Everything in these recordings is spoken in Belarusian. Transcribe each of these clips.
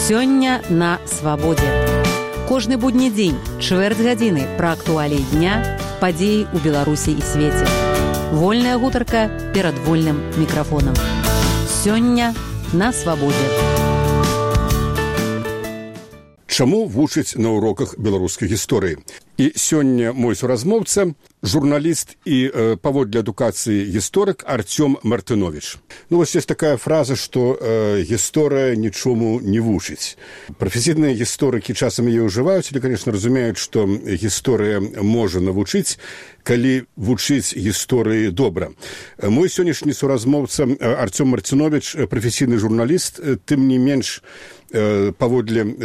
Сёння на свабодзе. Кожны будні дзень, чвэрць гадзіны пра актуаліі дня, падзеі ў Беларусі і свеце. Вольная гутарка перад вольным мікрафонам. Сёння на свабодзе. Чаму вучыць на уроках беларускай гісторыі? І сёння мой суразмоўца, журналіст і паводле адукацыі гісторык Артём Мартынович. Вось есть такая фраза, што гісторыя нічому не вучыць. Прафесійныя гісторыкі часам яе ўжываюць, але, конечно, разумеюць, што гісторыя можа навучыць, калі вучыць гісторыі добра. Мой сённяшні суразмоўца Артём Мартынович, прафесійны журналіст, тым не менш, паводле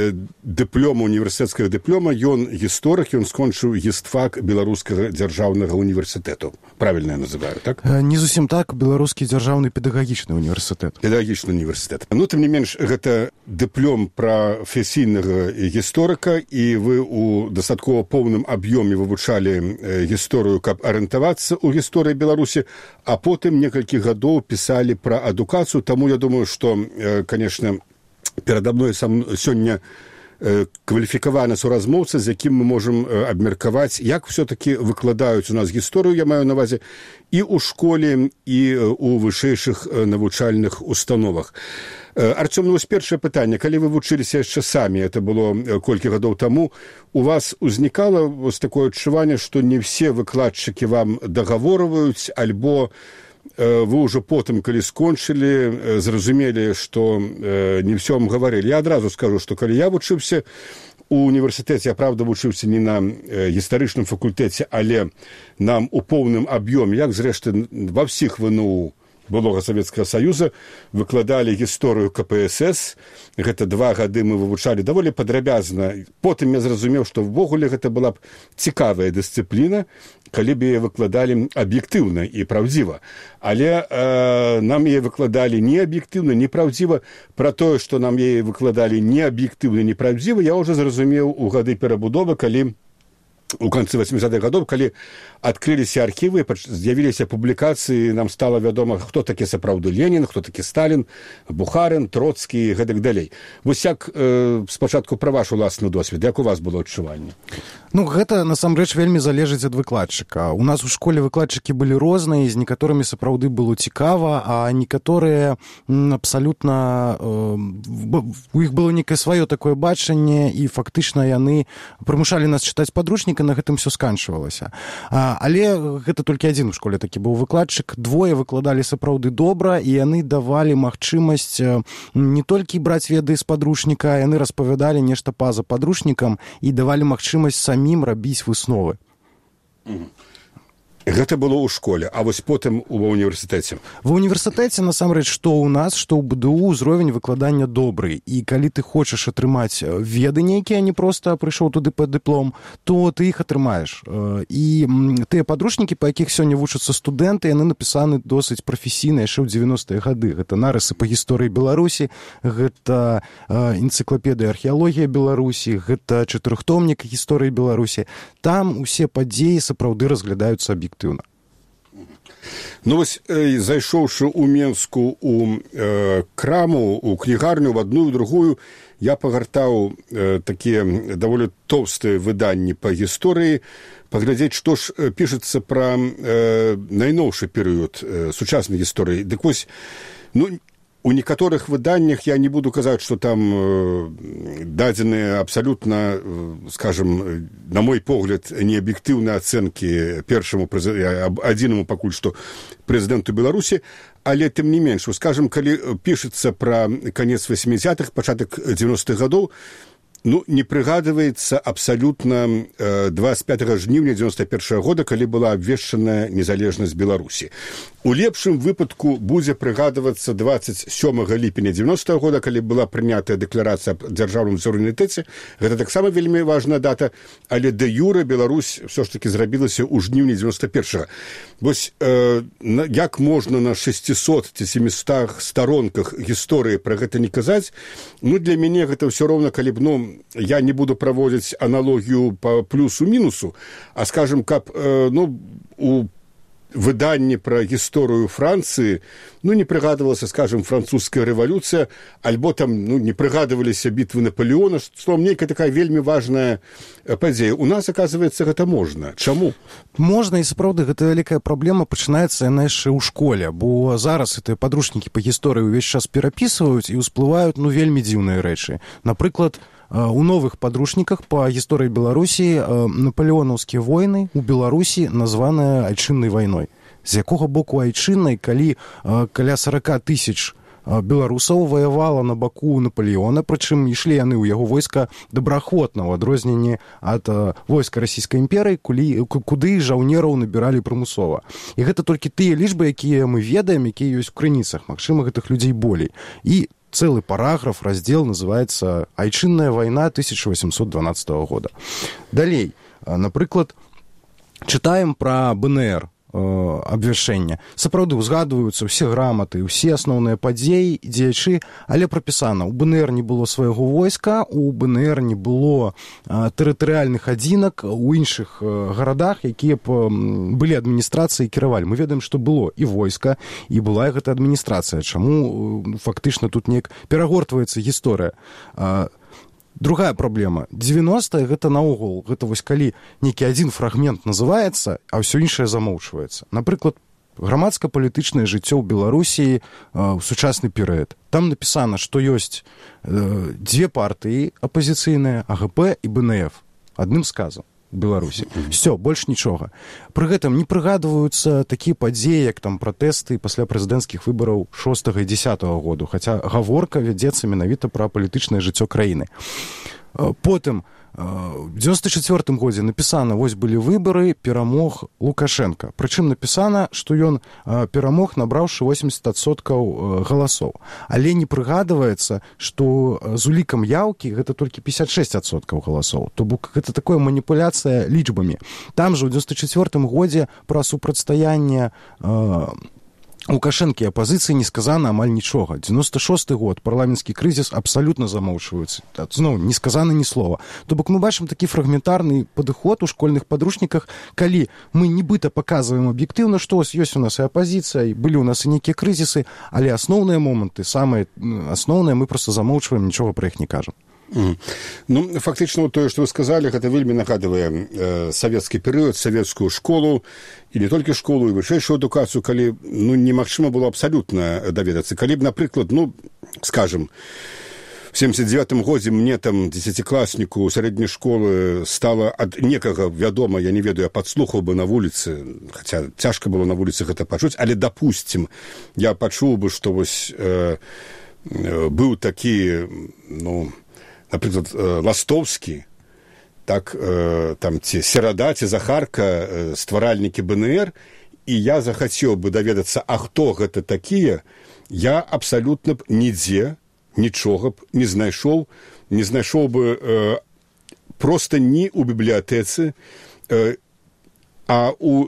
дыплома, універсітэцкага дыплома, ён гісторык, ён скончыў гістфак Беларускага дзяржаўнага універсітэту. Правільна я называю, так? Не зусім так, Беларускі дзяржаўны педагагічны універсітэт. Педагагічны універсітэт. Ну, тым не менш, гэта дыплом прафесійнага гісторыка, і вы ў дастаткова поўным аб'ёме вывучалі гісторыю, каб арыентавацца ў гісторыі Беларусі, а потым некалькі гадоў пісалі пра адукацыю, таму я думаю, што, конечно, перада мной сёння кваліфікаваны суразмоўца, з якім мы можам абмеркаваць, як все-таки выкладаюць у нас гісторыю, я маю на ўвазе, і ў школе, і ў вышэйшых навучальных установах. Артём, вось першае пытанне. Калі вы вучыліся яшчэ самі, это было колькі гадоў таму, у вас узнікала вось такое адчуванне, што не все выкладчыкі вам дагаворваюць, альбо вы ўжо потым, калі скончылі, зразумелі, што не ўсё вам гаварылі. Я адразу скажу, што калі я вучыўся у універсітэце, я, правда, вучыўся не на гістарычным факультэце, але нам у поўным аб'ёме, як, зрэшты, ва ўсіх ВНУ былога Савецкага Саюза, выкладалі гісторыю КПСС. Гэта 2 гады мы вывучалі даволі падрабязна. Потым я зразумеў, што ўвогуле гэта была б цікавая дысцыпліна, калі б яе выкладалі аб'ектыўна і праўдзіва. Але нам яе выкладалі не аб'ектыўна, не праўдзіва. Пра тое, што нам яе выкладалі не аб'ектыўна, не праўдзіва, я ўжо зразумеў у гады перабудовы, калі у канцы 80-х гадоў, калі адкрыліся архівы, з'явіліся публікацыі, нам стала вядома, хто такі сапраўды Ленін, хто такі Сталін, Бухарын, Троцкі і гэтак далей. Вось як спачатку пра ваш уласны досвед, як у вас было адчуванне? Ну, гэта, насамрэч, вельмі залежыць ад выкладчыка. У нас у школе выкладчыкі былі розныя, з некаторымі сапраўды было цікава, а некаторыя абсалютна... У іх было некае сваё такое бачанне, і фактычна яны прымушалі нас чытаць падручнік, і на гэтым все сканчвалася. Але гэта толькі адзін у школе такі быў выкладчык. 2 выкладалі сапраўды добра, і яны давалі магчымасць не толькі браць веды з падручніка, яны распавядалі нешта па-за падручнікам і давалі магчымасць самім рабіць высновы. Гэта было ў школе, а вось потым ва універсітэце. Ва універсітэце, насамрэч, што ў нас, што ў БДУ ўзровень выкладання добры. І калі ты хочаш атрымаць веды нейкія, а не проста прыйшоў туды па дыплом, то ты іх атрымаеш. І тыя падручнікі, па якіх сёння вучацца студэнты, яны напісаны досыць прафесійна яшчэ ў 90-е гады. Гэта нарысы па гісторыі Беларусі, гэта энцыклапедыя археалогія Беларусі, гэта 4-томнік гісторыі Беларусі. Там усе падзеі сапраўды разглядаюцца аб'ектыўна. Ну, вось, зайшоўшы ў Менску у краму, у кнігарню, в адну і другую, я пагартаў такія даволі тоўстыя выданні па гісторыі, паглядзець, што ж пішацца пра найноўшы перыяд сучаснай гісторыі. Дык вось, ну, у некаторых выданнях я не буду казаць, што там дадзеныя абсалютна, скажем, на мой погляд, неаб'ектыўныя ацэнкі першаму, адзінаму пакуль што прэзідэнту Беларусі, але тым не менш, скажем, калі пішацца пра канец 80-х, пачатак 90-х гадоў, ну, не прыгадваецца абсалютна 25 жніўня 91 года, калі была абвешчаная незалежнасць Беларусі. У лепшым выпадку будзе прыгадвацца 27 ліпеня 90 года, калі была прынятая дэкларацыя аб дзяржаўным суверэнітэце. Гэта таксама вельмі важная дата, але дэ юрэ Беларусь ўсё ж такі зрабілася ў жніўні 91-го. Вось як можна на 600 ці 700 старонках гісторыі пра гэта не казаць? Ну, для мяне гэта ўсё роўна, калі б, ну, я не буду праводзіць аналогію па плюсу-мінусу, а, скажем, каб, ну, у выданні пра гісторыю Францыі не прыгадывалася, скажем, французская рэвалюцыя, альбо там не прыгадываліся бітвы Наполеона, словом, нейкая такая вельмі важная падзея. У нас, оказывается, гэта можна. Чаму? Можна, і сапраўды, гэта вялікая праблема пачынаецца яна яшчэ ў школе, бо зараз гэтыя падручнікі па гісторыі ўвесь час перапісваюць і ўсплываюць вельмі дзіўныя рэчы. Напрыклад, у новых падручніках па гісторыі Беларусі напалеонаўскія войны ў Беларусі названыя айчыннай вайной. З якога боку айчыннай, калі каля 40 тысяч беларусаў ваявала на баку Наполеона, прычым ішлі яны ў яго войска добраахвотна, ў адрозненні ад войска Расійскай імперыі, куды жаўнераў набіралі прымусова. І гэта толькі тыя лічбы, якія мы ведаем, якія ёсць у крыніцах. Магчыма, гэтых людзей болей. І целый параграф, раздел называется «Айчынная война 1812 года». Далей, напрыклад, чытаем пра БНР, абвяшчэння. Сапраўды узгадваюцца ўсе граматы, ўсе асноўныя падзеі, дзеячы, але прапісана, у БНР не было свайго войска, у БНР не было тэрытарыяльных адзінак у іншых гарадах, якія былі адміністрацыі і кіравалі. Мы ведаем, што было і войска, і была гэта адміністрацыя. Чаму фактычна тут неяк перагортваецца гісторыя? Другая праблема. 90-е гэта наогул, гэта вось калі нейкі адзін фрагмент называецца, а ўсё іншае замоўчваецца. Напрыклад, грамадска-палітычнае жыццё ў Беларусі ў сучасны перыяд. Там напісана, што ёсць дзве партыі апазіцыйныя, АГП і БНФ. Адным сказам. Беларусі. Всё, больш нічога. Пры гэтым не прыгадваюцца такія падзеі, як там пратэсты пасля прэзідэнцкіх выбараў 6 і 10 году, хаця гаворка вядзецца менавіта пра палітычнае жыццё краіны. Потым, в 94 годзе напісана, вось былі выбары, перамог Лукашенко. Прычым напісана, што ён перамог, набраўшы 80% галасоў. Але не прыгадваецца, што з улікам яўкі гэта толькі 56% галасоў. То бок гэта такая маніпуляцыя лічбамі. Там жа ў 94 годзе пра супрацьстаянне Лукашэнкі апазіцыі не сказана амаль нічога. 96 год, парламенtsкі крызіс абсалютна замоўчваюцца. Зноў, не сказана ні слова. То бок мы бачым такі фрагментарны падыход у школьных падручніках, калі мы нібыта паказваем аб'ектыўна, што ёсць у нас і апазіцыя, і былі ў нас і нейкія крызісы, але асноўныя моманты, самыя асноўныя, мы проста замоўчваем, нічога пра іх не кажам. Фактычна тое, што вы сказалі, гэта вельмі нагадвае савецкі перыяд, савецкую школу, і не толькі школу, і вышэйшую адукацыю, калі немагчыма было абсалютна даведацца. Калі б, напрыклад, скажем, в 79 годзе мне там 10-класніку сярэдняй школы стала ад некага вядома, я не ведаю, я падслухаў бы на вуліцы, хаця цяжка было на вуліцы гэта пачуць, але, допустим, я пачуў бы, што вось быў такі, напрыклад, Ластовскі, так, там, ці Серада, ці Захарка, стваральнікі БНР, і я захацеў бы даведацца, а хто гэта такія, я абсалютна б нідзе нічога б не знайшоў бы проста ні ў бібліятэцы, а у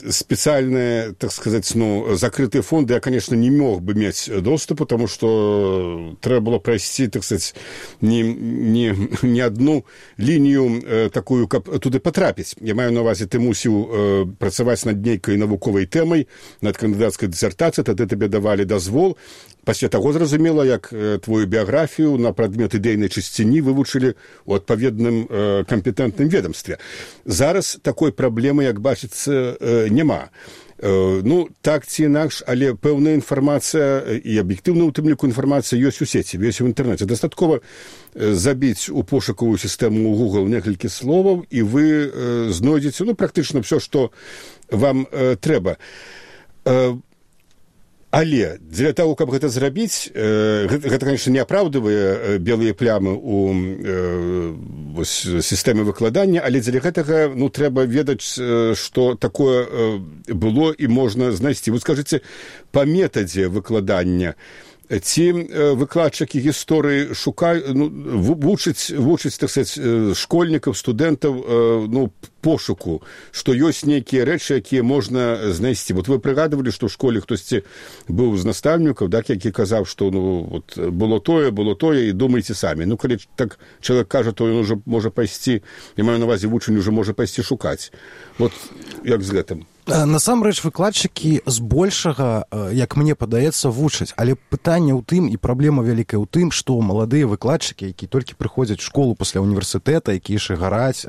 специальные, так сказать, закрытые фонды я, конечно, не мог бы иметь доступ, потому что треба было пройти, так сказать, не одну линию такую, как туды потрапить. Я маю на увазі, ты мусіў працаваць над нейкай навуковай тэмай, над кандыдацкай дысертацыяй, тады тебе давалі дазвол. Пасля таго, зразумела, як твою біяграфію на прадмет ідэйнай чысціні вывучылі ў адпаведным кампетэнтным ведомстве. Зараз такой праблемы, як бачыцца, няма. Так ці інакш, але пэўная інфармацыя і аб'ектыўна ў тым ліку інфармацыя ёсць у сеці, ёсць у інтэрнэце. Дастаткова забіць у пошукавую сістэму ў Google некалькі словаў, і вы знойдзеце практычна ўсё, што вам трэба. Але для того, каб гэта зрабіць, гэта, конечно, не апраўдывае белыя плямы ў сістэме выкладання, але дзеля гэтага трэба ведаць, што такое было і можна знайсці. Вы скажыце, па метадзе выкладання ці выкладчыкі гісторыі вучаць, так сказать, школьнікаў, студэнтаў пошуку, што ёсць нейкія рэчы, якія можна знайсці. Вот вы прыгадывалі, што ў школе хтосьці быў з настаўнікаў, які казаў, што было тое, і думайце самі. Калі так чалавек кажа, то ён ужо можа пайсці, я маю на ўвазе, вучань ужо можа пайсці шукаць. Вот як з гэтым? Насамрэч выкладчыкі збольшага, як мне падаецца, вучаць, але пытанне ў тым і праблема вялікая ў тым, што маладыя выкладчыкі, якія толькі прыходзяць у школу пасля універсітэта, якія яшчэ гараць,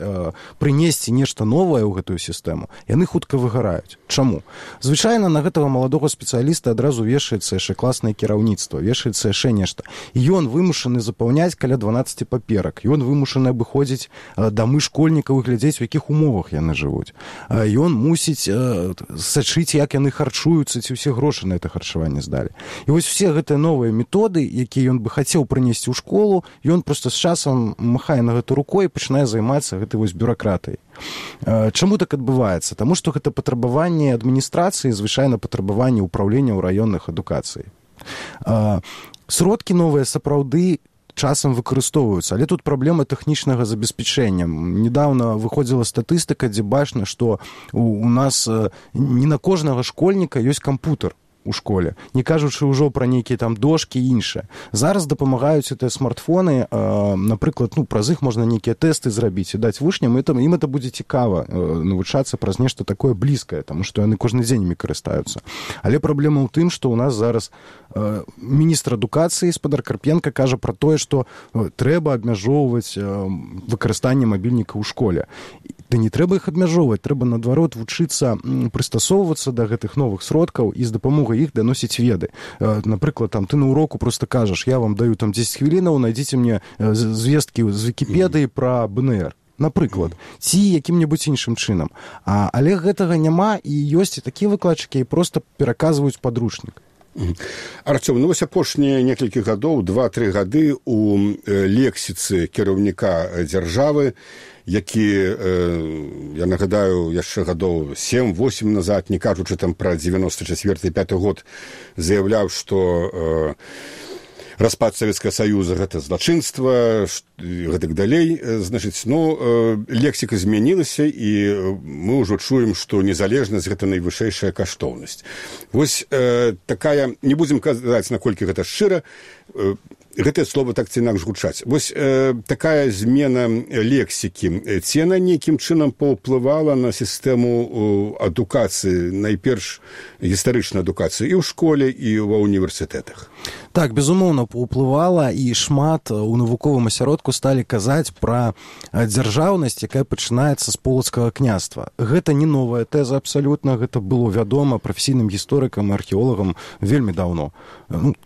прынесці нешта новае ў гэтую сістэму, яны хутка выгараюць. Чаму? Звычайна на гэтага маладога спецыяліста адразу вешаецца яшчэ класнае кіраўніцтва, вешаецца яшчэ нешта. І ён вымушаны запаўняць каля 12 паперак, ён вымушаны абыходзіць дамы школьнікаў і глядзець, у якіх умовах яны жывуць. Ён мусіць сачыць, як яны харчуюцца, ці ўсе грошы на это харчаванне здалі. І вось все гэтыя новыя методы, якія ён бы хацеў прынесці ў школу, ён проста з часам махае на гэту рукой і пачынае займацца гэтай вось бюракратыяй. Чаму так адбываецца? Таму што гэта патрабаванне адміністрацыі, звычайна патрабаванне ўпраўлення ў раённых адукацыі. Сродкі новыя сапраўды часам выкарыстоўваюцца, але тут праблема тэхнічнага забеспячэння. Недаўна выходзіла статыстыка, дзе бачна, што у нас не на кожнага школьніка ёсць кампутер у школе, не кажучы ўжо пра нейкія там дошкі і іншае. Зараз дапамагаюць гэтыя смартфоны, напрыклад, праз іх можна нейкія тэсты зрабіць і даць вучням, ім это будзе цікава навучацца праз нешта такое блізкае, таму што яны кожны дзень імі карыстаюцца. Але праблема ў тым, што ў нас зараз міністр адукацыі спадар Карпенка кажа пра тое, што трэба абмяжоўваць выкарыстанне мабільніка ў школе. Да не трэба іх абмяжоўваць, трэба, наадварот, вучыцца прыстасоўвацца да гэтых новых сродкаў і з дапамогай іх даносіць веды. Напрыклад, ты на уроку проста кажаш, я вам даю 10 хвілінаў, найдзіце мне звесткі з Вікіпедыі пра БНР. Напрыклад, ці якім-небудзь іншым чынам. Але гэтага няма, і ёсць і такія выкладчыкі, які проста пераказваюць падручнік. Артём, вось апошнія некалькі гадоў, 2-3 гады у лексіцы кіраўніка дзяржавы, які, я нагадаю, яшчэ гадоў 7-8 назад, не кажучы там пра 94-5 год, заяўляў, што распад Савецкага Саюза – гэта злачынства, гэтак далей. Значыць, лексіка змянілася, і мы ўжо чуем, што незалежнасць – гэта найвышэйшая каштоўнасць. Вось такая, не будзем казаць, наколькі гэта шчыра, гэтае слова так ці інакш гучаць. Вось такая змена лексікі, ці яна нейкім чынам паўплывала на сістэму адукацыі, найперш гістарычнай адукацыі і ў школе, і ва універсітэтах? Так, безумоўна, паўплывала, і шмат у навуковым асяродку сталі казаць пра дзяржаўнасць, якая пачынаецца з полацкага княства. Гэта не новая тэза абсалютна, гэта было вядома прафесійным гісторыкам і археолагам вельмі даўно.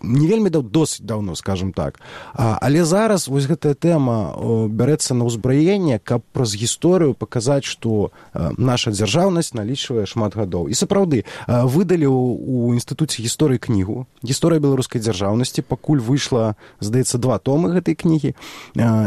Не вельмі досыць даўно, скажам так. Але зараз вось гэтая тэма бярэцца на ўзбраенне, каб праз гісторыю паказаць, што наша дзяржаўнасць налічвае шмат гадоў. І сапраўды, выдалі ў Інстытуце гісторыі кнігу «Гісторыя беларускай дзяржаўнасці», пакуль выйшла, здаецца, 2 томы гэтай кнігі,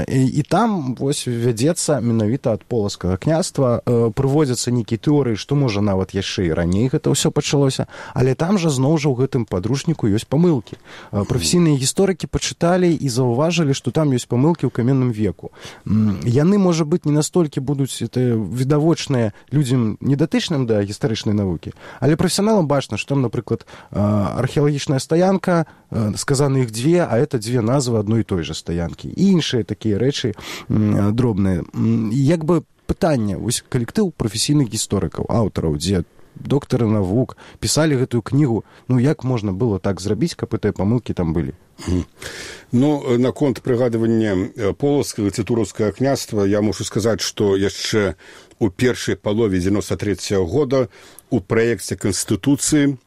і там вось вядзецца менавіта ад полацкага княства, прыводзяцца нейкія тэорыі, што можа нават яшчэ і раней гэта ўсё пачалося, але там жа зноў жа ў гэтым падручніку ёсць памылкі. Прафесійныя гісторыкі пачыталі і заўважылі, што там ёсць памылкі ў каменным веку. Яны, можа быць, не настолькі будуць відавочныя людзям недатычным да гістарычнай навукі, але прафесіяналам бачна, што там, напрыклад, археалагічная стаянка, сказаны іх 2, а это 2 назвы адной і той жа стаянкі. І іншыя такія рэчы дробныя. Як бы пытанне, вось калектыў прафесійных гісторыкаў, аўтараў, дзе доктары навук пісалі гэтую кнігу, як можна было так зрабіць, каб гэтыя памылкі там былі? Наконт прыгадывання полацкага ці туровскага княства я мушу сказаць, што яшчэ у першай палове 93-го года у праекце Канстытуцыі,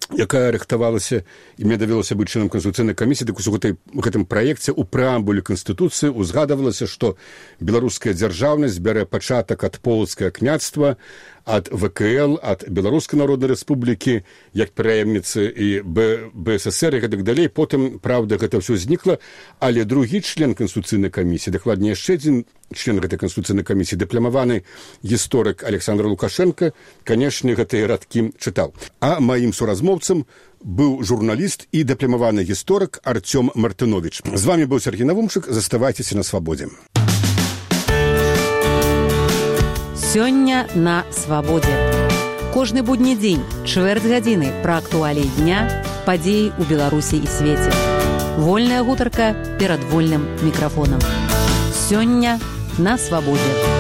якая рыхтавалася, і мне давялося быць членам Канстытуцыйнай камісіі, так у гэтым праекце у прэамбуле Канстытуцыі узгадавалася, што беларуская дзяржаўнасць бярэ пачатак ад полацкага княства, ад ВКЛ, ад Беларускай Народнай Рэспублікі, як пераемніцы і БССР і гэтак далей. Потым, правда, гэта ўсё знікла, але другі член Канстытуцыйнай камісіі, дакладней яшчэ адзін член гэтай Канстытуцыйнай камісіі, дыпламаваны гісторык Александр Лукашенко, канешне, гэтыя радкі чытаў. А маім суразмоўцам быў журналіст і дыпламаваны гісторык Артём Мартынович. З вами быў Сергей Навумчык. Заставайцеся на свабодзе. Сёння на свабодзе. Кожны будні дзень, чвэрць гадзіны пра актуаліі дня, падзеі ў Беларусі і свеце. Вольная гутарка перад вольным мікрафонам. Сёння на свабодзе.